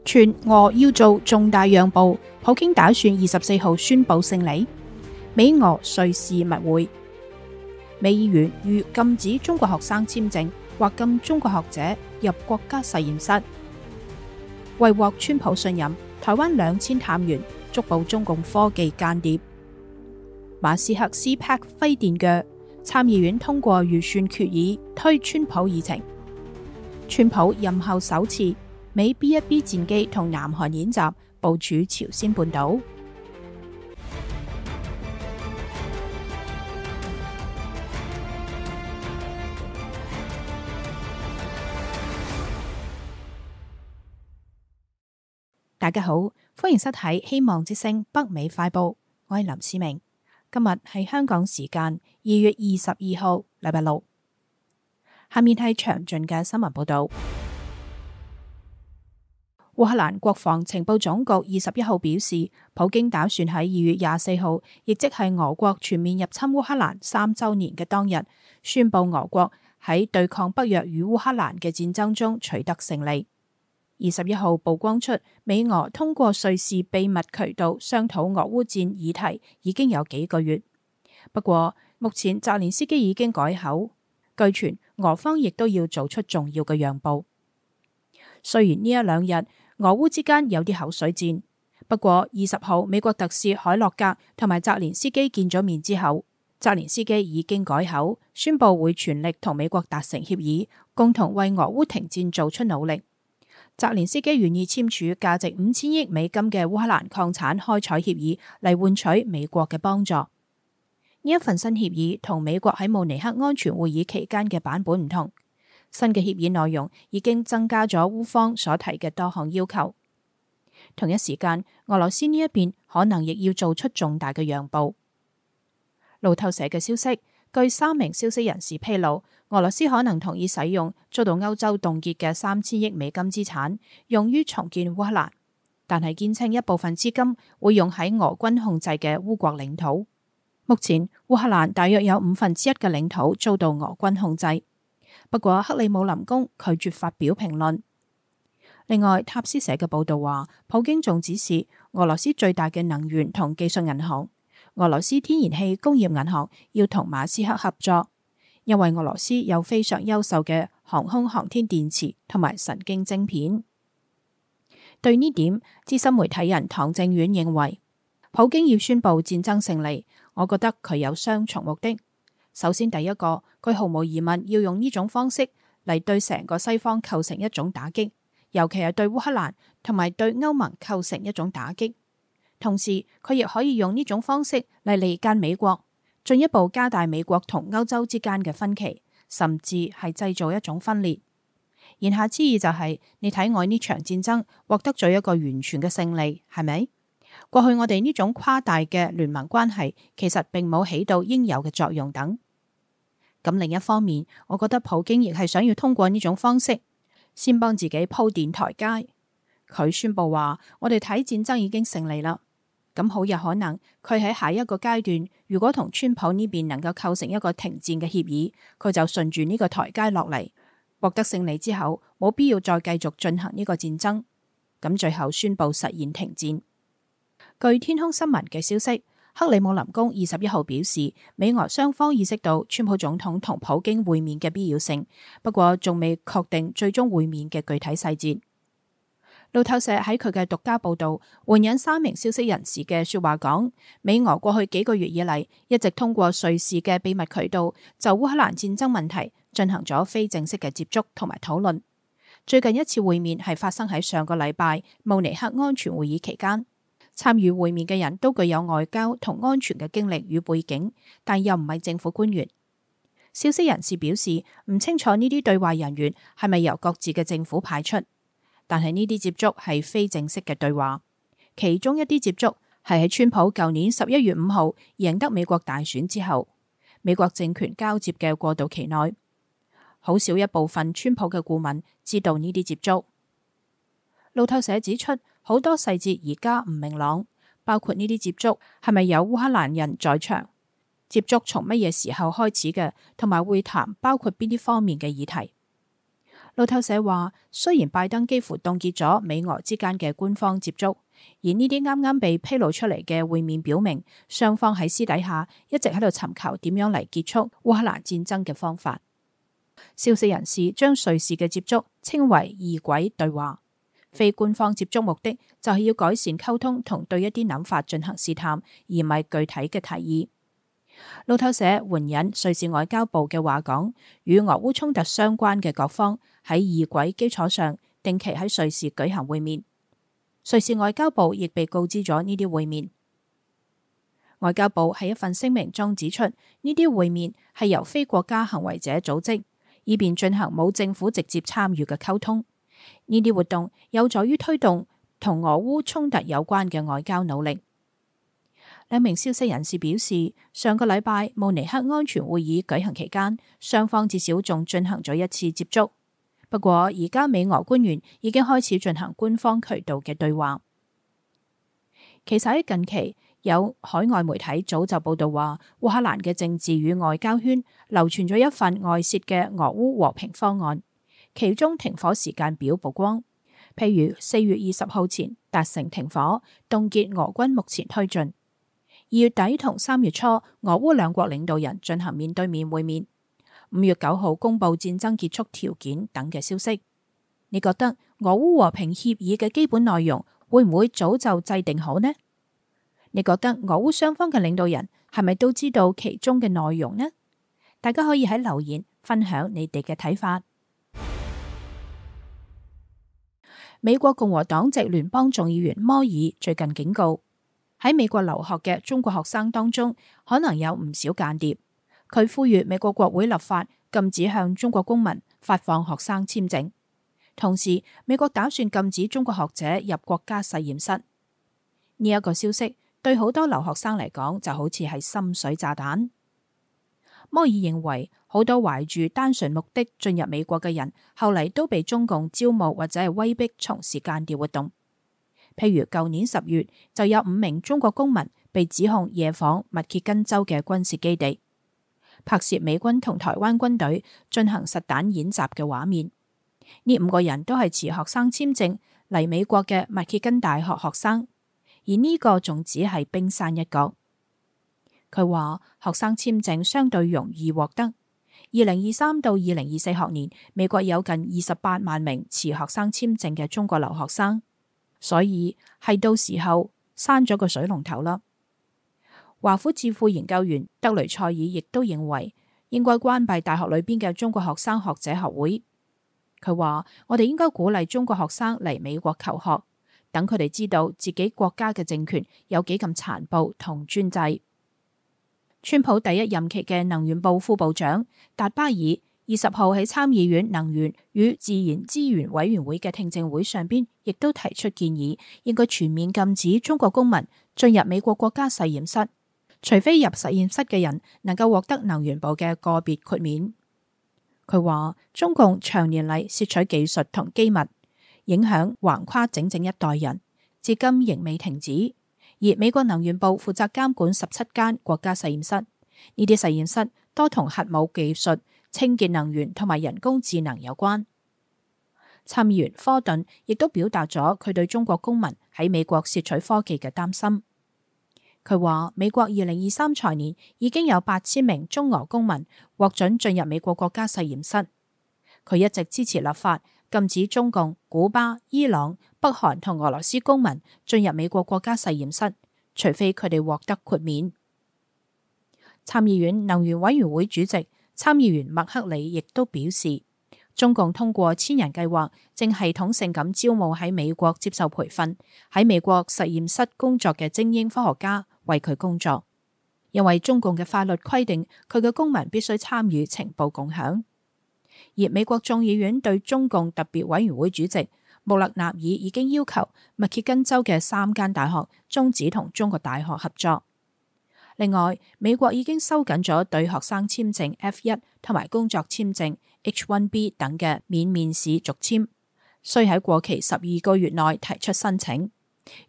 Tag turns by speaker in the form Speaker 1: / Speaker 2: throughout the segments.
Speaker 1: 傳俄要做重大讓步，普京打算24號宣布勝利。美俄瑞士密會，美議員欲禁止中國學生簽證或禁中國學者入國家實驗室。為獲川普信任，台灣2000探員捉捕中共科技間諜。馬斯克 CPAC 揮電鋸，參議院通過預算決議推川普議程。川普任後首次美 B-1B 戰機同南韓演習部署朝鮮半島。大家好，歡迎收睇希望之聲北美快報，我係林思明。今日係香港時間2月22號，禮拜六。下面係詳盡嘅新聞報道。烏克蘭國防情報總局21號表示，普京打算喺2月24號，亦即係俄國全面入侵烏克蘭3週年嘅當日，宣布俄國喺對抗北約與烏克蘭嘅戰爭中取得勝利。21號曝光出美俄通過瑞士秘密渠道商討俄烏戰議題已經有幾個月，不過目前澤連斯基已經改口，據傳俄方亦都要做出重要嘅讓步。雖然呢一兩日俄烏之間有啲口水戰，不過20號美國特使海洛格同埋澤連斯基見咗面之後，澤連斯基已經改口，宣布會全力同美國達成協議，共同為俄烏停戰做出努力。澤連斯基願意簽署價值5000億美金嘅烏克蘭礦產開採協議嚟換取美國嘅幫助。呢一份新協議同美國喺慕尼黑安全會議期間嘅版本唔同，新嘅協議內容已經增加咗烏方所提嘅多項要求。同一時間，俄羅斯呢一邊可能亦要做出重大嘅讓步。路透社嘅消息，據3名消息人士披露，俄羅斯可能同意使用遭到歐洲凍結嘅3000億美金資產，用於重建烏克蘭，但係堅稱一部分資金會用喺俄軍控制嘅烏國領土。目前烏克蘭大約有1/5嘅領土遭到俄軍控制，不過克里姆林宮拒絕發表評論。另外，塔斯社嘅報道話，普京仲指示俄羅斯最大嘅能源同技術銀行俄羅斯天然氣工業銀行要同馬斯克合作，因為俄羅斯有非常優秀嘅航空航天電池同埋神經晶片。對呢點，資深媒體人唐正遠認為，普京要宣布戰爭勝利，我覺得佢有雙重目的。首先，第一個，佢毫無疑問要用呢種方式嚟對成個西方構成一種打擊，尤其係對烏克蘭同埋對歐盟構成一種打擊。同時，佢亦可以用呢種方式嚟離間美國，進一步加大美國同歐洲之間嘅分歧，甚至係製造一種分裂。言下之意就係，你睇我呢場戰爭獲得咗一個完全嘅勝利，係咪？過去我哋呢種誇大嘅聯盟關係，其實並冇起到應有嘅作用等。咁另一方面，我覺得普京亦係想要通過呢種方式，先幫自己鋪墊台階。佢宣布話，我哋睇戰爭已經勝利啦。咁好有可能，佢喺下一個階段，如果同川普呢邊能夠構成一個停戰嘅協議，佢就順住呢個台階落嚟，獲得勝利之後，冇必要再繼續進行呢個戰爭。咁最後宣布實現停戰。據天空新聞嘅消息，克里姆林宮21號表示，美俄雙方意識到川普總統同普京會面嘅必要性，不過仲未確定最終會面嘅具體細節。路透社喺佢嘅獨家報道，援引3名消息人士嘅說話講，美俄過去幾個月以嚟一直通過瑞士嘅秘密渠道就烏克蘭戰爭問題進行咗非正式嘅接觸同埋討論。最近一次會面係發生喺上個禮拜慕尼黑安全會議期間，參與會面嘅人都具有外交同安全嘅經歷與背景，但又唔係政府官員。消息人士表示唔清楚呢啲對話人員係咪由各自嘅政府派出。但係呢啲接觸係非正式嘅對話，其中一啲接觸係喺川普舊年11月5號贏得美國大選之後，美國政權交接嘅過渡期內，好少一部分川普嘅顧問知道呢啲接觸。路透社指出，好多細節而家唔明朗，包括呢啲接觸係咪有烏克蘭人在場，接觸從乜嘢時候開始嘅，同埋會談包括邊啲方面嘅議題。路透社話，雖然拜登幾乎凍結咗美俄之間嘅官方接觸，而呢啲啱啱被披露出嚟嘅會面表明，雙方喺私底下一直喺度尋求點樣嚟結束烏克蘭戰爭嘅方法。消息人士將瑞士嘅接觸稱為異軌對話，非官方接觸目的就係要改善溝通同對一啲諗法進行試探，而唔係具體嘅提議。路透社援引瑞士外交部嘅話講，與俄烏衝突相關嘅各方喺異軌基礎上定期喺瑞士舉行會面。瑞士外交部亦被告知咗呢啲會面。外交部喺一份聲明中指出，呢啲會面係由非國家行為者組織，以便進行冇政府直接參與嘅溝通。呢啲活動有助於推動同俄烏衝突有關嘅外交努力。兩名消息人士表示，上個禮拜慕尼黑安全會議舉行期間，雙方至少仲進行咗一次接觸。不過而家美俄官員已經開始進行官方渠道嘅對話。其實喺近期，有海外媒體早就報道話，烏克蘭嘅政治與外交圈流傳咗一份外泄嘅俄烏和平方案，其中停火時間表曝光，譬如4月20號前達成停火，凍結俄軍目前推進。2月底同3月初，俄烏兩國領導人進行面對面會面。5月9號公布戰爭結束條件等嘅消息。你覺得俄烏和平協議嘅基本內容會唔會早就制定好呢？你覺得俄烏雙方嘅領導人係咪都知道其中嘅內容呢？大家可以喺留言分享你哋嘅睇法。美國共和黨籍聯邦眾議員摩爾最近警告，喺美國留學嘅中國學生當中，可能有唔少間諜。佢呼籲美國國會立法禁止向中國公民發放學生簽證，同時美國打算禁止中國學者入國家實驗室。呢一個消息對好多留學生嚟講就好似係深水炸彈。摩爾認為，好多懷住單純目的進入美國嘅人，後嚟都被中共招募或者係威逼從事間諜活動。譬如舊年10月，就有5名中國公民被指控夜訪密歇根州嘅軍事基地，拍攝美軍同台灣軍隊進行實彈演習嘅畫面。呢5個人都係持學生簽證嚟美國嘅密歇根大學學生，而呢個仲只係冰山一角。佢話學生簽證相對容易獲得。2023到2024學年，美國有近28萬名持學生簽證嘅中國留學生，所以係到時候閂咗個水龍頭啦。華府智庫研究員德雷塞爾亦都認為應該關閉大學裏邊嘅中國學生學者學會。佢話我哋應該鼓勵中國學生嚟美國求學，等佢哋知道自己國家嘅政權有幾咁殘暴同專制。川普第一任期嘅能源部副部長達巴爾20號喺參議院能源與自然資源委員會嘅聽證會上邊，亦都提出建議，應該全面禁止中國公民進入美國國家實驗室，除非入實驗室嘅人能夠獲得能源部嘅個別豁免。佢話中共長年嚟竊取技術同機密，影響橫跨整整一代人，至今仍未停止。而美國能源部負責監管17間國家實驗室，呢啲實驗室多同核武技術、清潔能源同埋人工智能有關。參議員科頓亦都表達咗佢對中國公民喺美國竊取科技嘅擔心。佢話美國2023財年已經有8000名中俄公民獲准進入美國國家實驗室。佢一直支持立法禁止中共、古巴、伊朗、北韓同俄羅斯公民進入美國國家實驗室，除非佢哋獲得豁免。參議院能源委員會主席參議員麥克里亦都表示，中共通過千人計劃，正系統性咁招募喺美國接受培訓、喺美國實驗室工作嘅精英科學家為佢工作，因為中共嘅法律規定佢嘅公民必須參與情報共享。而美國眾議院對中共特別委員會主席穆勒納爾已經要求密歇根州嘅3間大學終止同中國大學合作。另外，美國已經收緊咗對學生簽證 F1 同埋工作簽證 H1B 等嘅免面試續簽，需喺過期12個月內提出申請。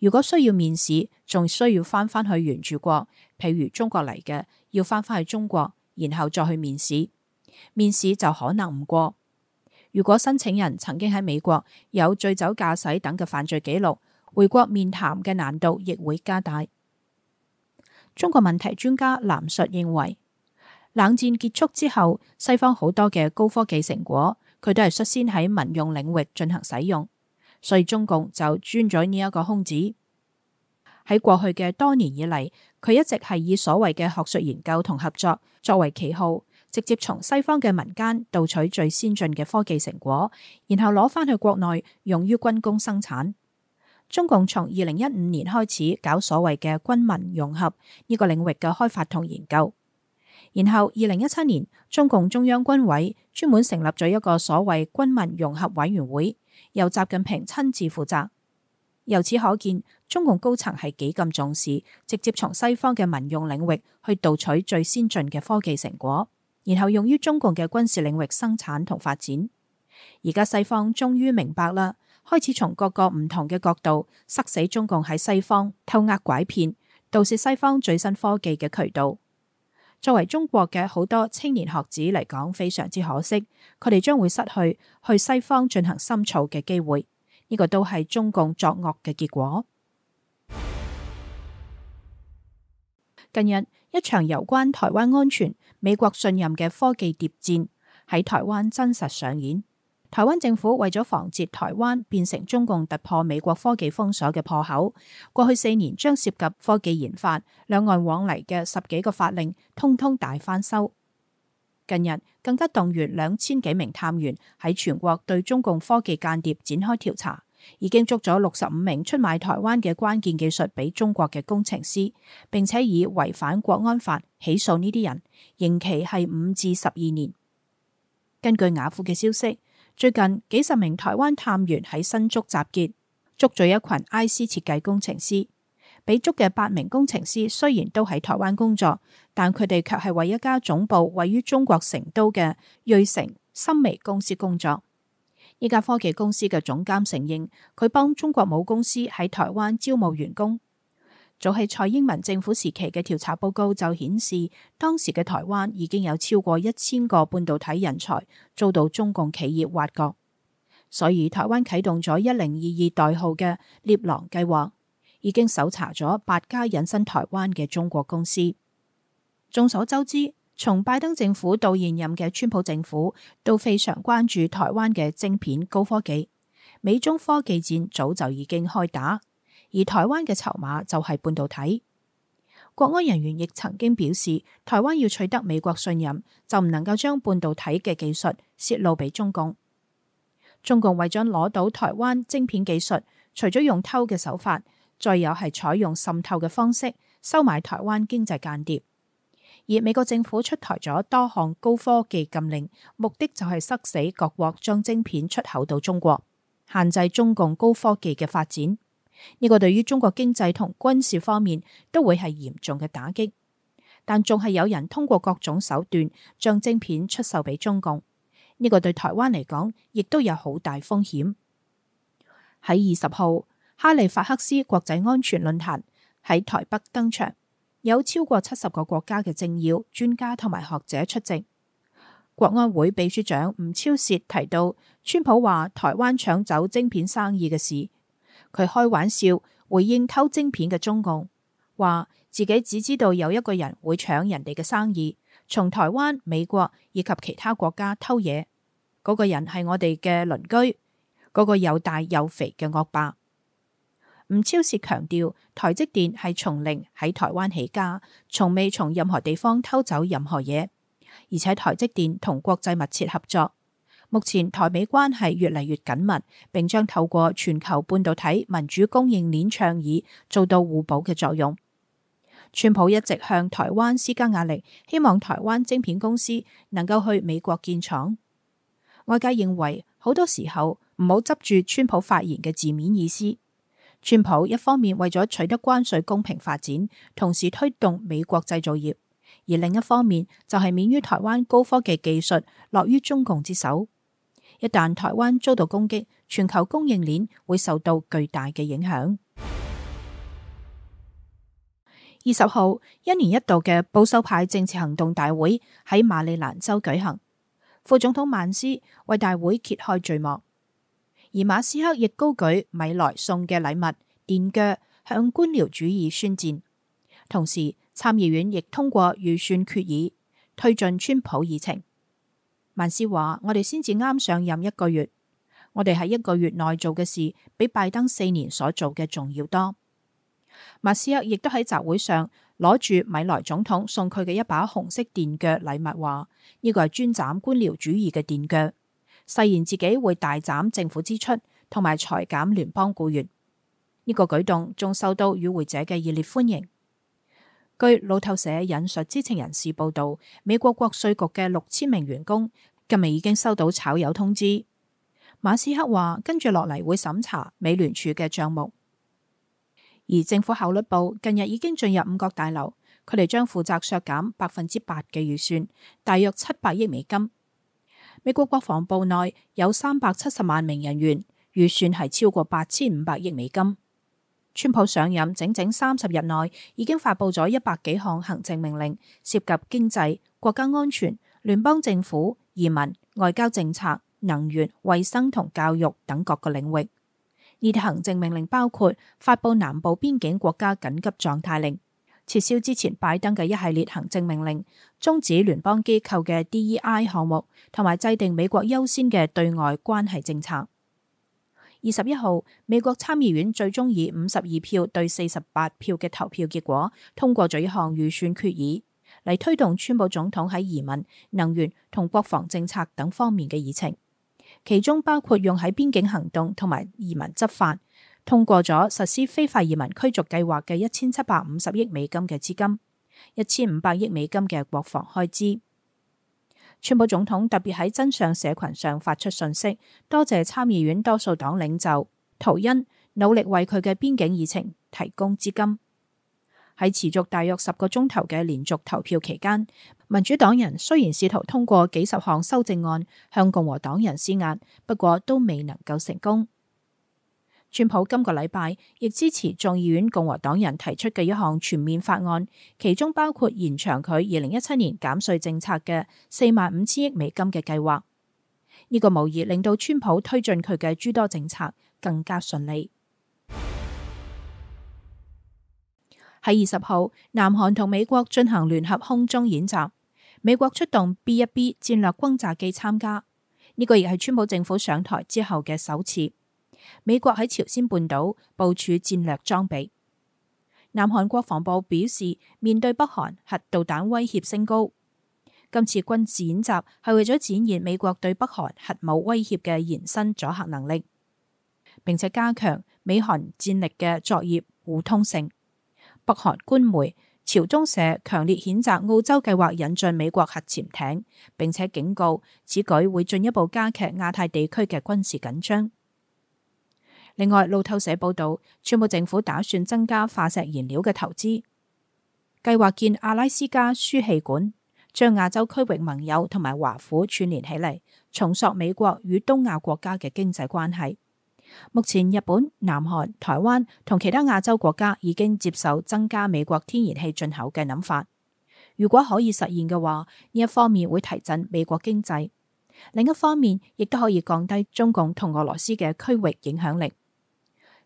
Speaker 1: 如果需要面試，仲需要翻去原住國，譬如中國嚟嘅，要翻去中國，然後再去面試。面試就可能唔過。如果申請人曾經喺美國有醉酒駕駛等嘅犯罪記錄，回國面談嘅難度亦會加大。中國問題專家藍述認為，冷戰結束之後，西方好多嘅高科技成果，佢都係率先喺民用領域進行使用，所以中共就鑽咗呢一個空子。喺過去嘅多年以嚟，佢一直係以所謂嘅學術研究同合作作為旗號，直接從西方嘅民間盜取最先進嘅科技成果，然後攞返去國內用於軍工生產。中共從2015年開始搞所謂嘅軍民融合呢個領域嘅開發同研究，然後2017年中共中央軍委專門成立咗一個所謂軍民融合委員會，由習近平親自負責。由此可見，中共高層係幾咁重視直接從西方嘅民用領域去盜取最先進嘅科技成果，然後用於中共嘅軍事領域生產同發展。而家西方終於明白啦，開始從各個唔同嘅角度塞死中共喺西方偷呃拐騙、盜竊西方最新科技嘅渠道。作為中國嘅好多青年學子嚟講，非常之可惜，佢哋將會失去去西方進行深造嘅機會。呢個都係中共作惡嘅結果。近日，一場有關台灣安全、美國信任嘅科技諜戰喺台灣真實上演。台灣政府為咗防止台灣變成中共突破美國科技封鎖嘅破口，過去4年將涉及科技研發、兩岸往嚟嘅10幾個法令，通通大翻修。近日更加動員2000幾名探員喺全國對中共科技間諜展開調查，已經捉咗65名出賣台灣嘅關鍵技術俾中國嘅工程師，並且以違反國安法起訴呢啲人，刑期係5至12年。根據雅虎嘅消息，最近幾十名台灣探員喺新竹集結，捉咗一群 IC 設計工程師。被捉嘅8名工程師雖然都喺台灣工作，但佢哋卻係為一家總部位於中國成都嘅瑞成森微公司工作。呢家科技公司嘅總監承認，佢幫中國母公司喺台灣招募員工。早喺蔡英文政府時期嘅調查報告就顯示，當時嘅台灣已經有超過1000個半導體人才遭到中共企業挖角，所以台灣啟動咗1022代號嘅獵狼計劃，已經搜查咗8家隱身台灣嘅中國公司。眾所周知，從拜登政府到現任嘅川普政府都非常關注台灣嘅晶片高科技，美中科技戰早就已經開打，而台灣嘅籌碼就係半導體。國安人員亦曾經表示，台灣要取得美國信任，就唔能夠將半導體嘅技術泄露俾中共。中共為咗攞到台灣晶片技術，除咗用偷嘅手法，再有係採用滲透嘅方式收買台灣經濟間諜。而美國政府出台咗多項高科技禁令，目的就係塞死各國將晶片出口到中國，限制中共高科技嘅發展。呢個對於中國經濟同軍事方面都會係嚴重嘅打擊。但仲係有人通過各種手段將晶片出售俾中共，呢個對台灣嚟講亦都有好大風險。喺20號，哈利法克斯國際安全論壇喺台北登場，有超過70個國家嘅政要、專家同埋學者出席。國安會秘書長吳釗燮提到，川普話台灣搶走晶片生意嘅事，佢開玩笑回應偷晶片嘅中共，話自己只知道有一個人會搶人哋嘅生意，從台灣、美國以及其他國家偷嘢，嗰個人係我哋嘅鄰居，嗰個又大又肥嘅惡霸。吳釗燮強調，台積電係從零喺台灣起家，從未從任何地方偷走任何嘢，而且台積電同國際密切合作。目前台美關係越嚟越緊密，並將透過全球半導體民主供應鏈倡議做到互補嘅作用。川普一直向台灣施加壓力，希望台灣晶片公司能夠去美國建廠。外界認為好多時候唔好執住川普發言嘅字面意思。川普一方面為咗取得關稅公平發展，同時推動美國製造業，而另一方面就係免於台灣高科技技術落於中共之手。一旦台灣遭到攻擊，全球供應鏈會受到巨大嘅影響。20號，1年一度嘅保守派政治行動大會喺馬里蘭州舉行。副總統曼斯為大會揭開序幕，而馬斯克亦高舉米萊送嘅禮物電鋸向官僚主義宣戰。同時，參議院亦通過預算決議，推進川普議程。曼斯話：我哋先至啱上任1個月，我哋喺1個月內做嘅事，比拜登4年所做嘅仲要多。馬斯克亦都喺集會上攞住米萊總統送佢嘅一把紅色電鋸禮物，話呢個係專斬官僚主義嘅電鋸，誓言自己會大斬政府支出同埋裁減聯邦僱員。呢個舉動仲受到與會者嘅熱烈歡迎。據路透社引述知情人士報道，美國國稅局嘅6000名員工今日已經收到炒魷通知。馬斯克話跟住落嚟會審查美聯儲嘅賬目。而政府效率部近日已經進入五角大樓，佢哋將負責削減8%嘅預算，大約700億美金。美國國防部內有370萬名人員，預算係超過8500億美金。川普上任整整30日內，已經發佈咗100幾項行政命令，涉及經濟、國家安全、聯邦政府、移民、外交政策、能源、衛生同教育等各個領域。呢啲行政命令包括發佈南部邊境國家緊急狀態令，撤銷之前拜登嘅一系列行政命令，終止聯邦機構嘅 DEI 項目，同埋制定美國優先嘅對外關係政策。21號，美國參議院最終以52票對48票嘅投票結果，通過咗一項預算決議，嚟推動川普總統喺移民、能源同國防政策等方面嘅議程，其中包括用喺邊境行動同埋移民執法，通過咗實施非法移民驅逐計劃嘅1750億美金嘅資金，1500億美金嘅國防開支。川普總統特別喺真相社群上發出訊息，多謝參議院多數黨領袖圖恩努力為佢嘅邊境議程提供資金。喺持續大約10個鐘頭嘅連續投票期間，民主黨人雖然試圖通過幾十項修正案向共和黨人施壓，不過都未能夠成功。川普今個禮拜亦支持眾議院共和黨人提出嘅一項全面法案，其中包括延長佢2017年減稅政策嘅45000億美金嘅計劃。呢個無疑令到川普推進佢嘅諸多政策更加順利。喺20號，南韓同美國進行聯合空中演習，美國出動 B-1B 戰略轟炸機參加，呢個亦係川普政府上台之後嘅首次。美國喺朝鮮半島部署戰略裝備。南韓國防部表示，面對北韓核導彈威脅升高，今次軍事演習係為咗展現美國對北韓核武威脅嘅延伸阻嚇能力，並且加強美韓戰力嘅作業互通性。北韓官媒朝中社強烈譴責澳洲計劃引進美國核潛艇，並且警告此舉會進一步加劇亞太地區嘅軍事緊張。另外，路透社報道，川普政府打算增加化石燃料嘅投資，計劃建阿拉斯加輸氣管，將亞洲區域盟友同埋華府串聯起嚟，重塑美國與東亞國家嘅經濟關係。目前，日本、南韓、台灣同其他亞洲國家已經接受增加美國天然氣進口嘅諗法。如果可以實現嘅話，呢一方面會提振美國經濟，另一方面亦都可以降低中共同俄羅斯嘅區域影響力。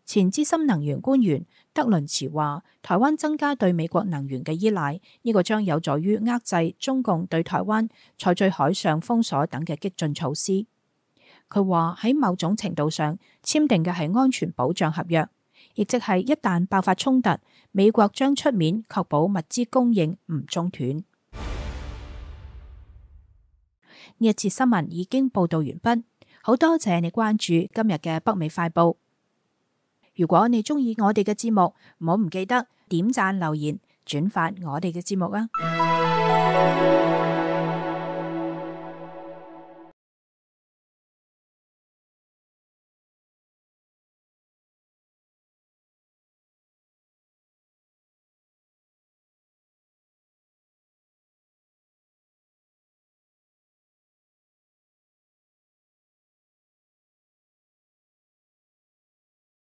Speaker 1: 前資深能源官員德倫茨話，台灣增加對美國能源嘅依賴，呢個將有助於遏制中共對台灣採取海上封鎖等嘅激進措施。佢話喺某種程度上簽訂嘅係安全保障合約，亦即係一旦爆發衝突，美國將出面確保物資供應唔中斷。呢一節新聞已經報道完畢，好多謝你關注今日嘅北美快報。如果你鍾意我哋嘅節目，唔好唔記得點讚、留言、轉發我哋嘅節目啊！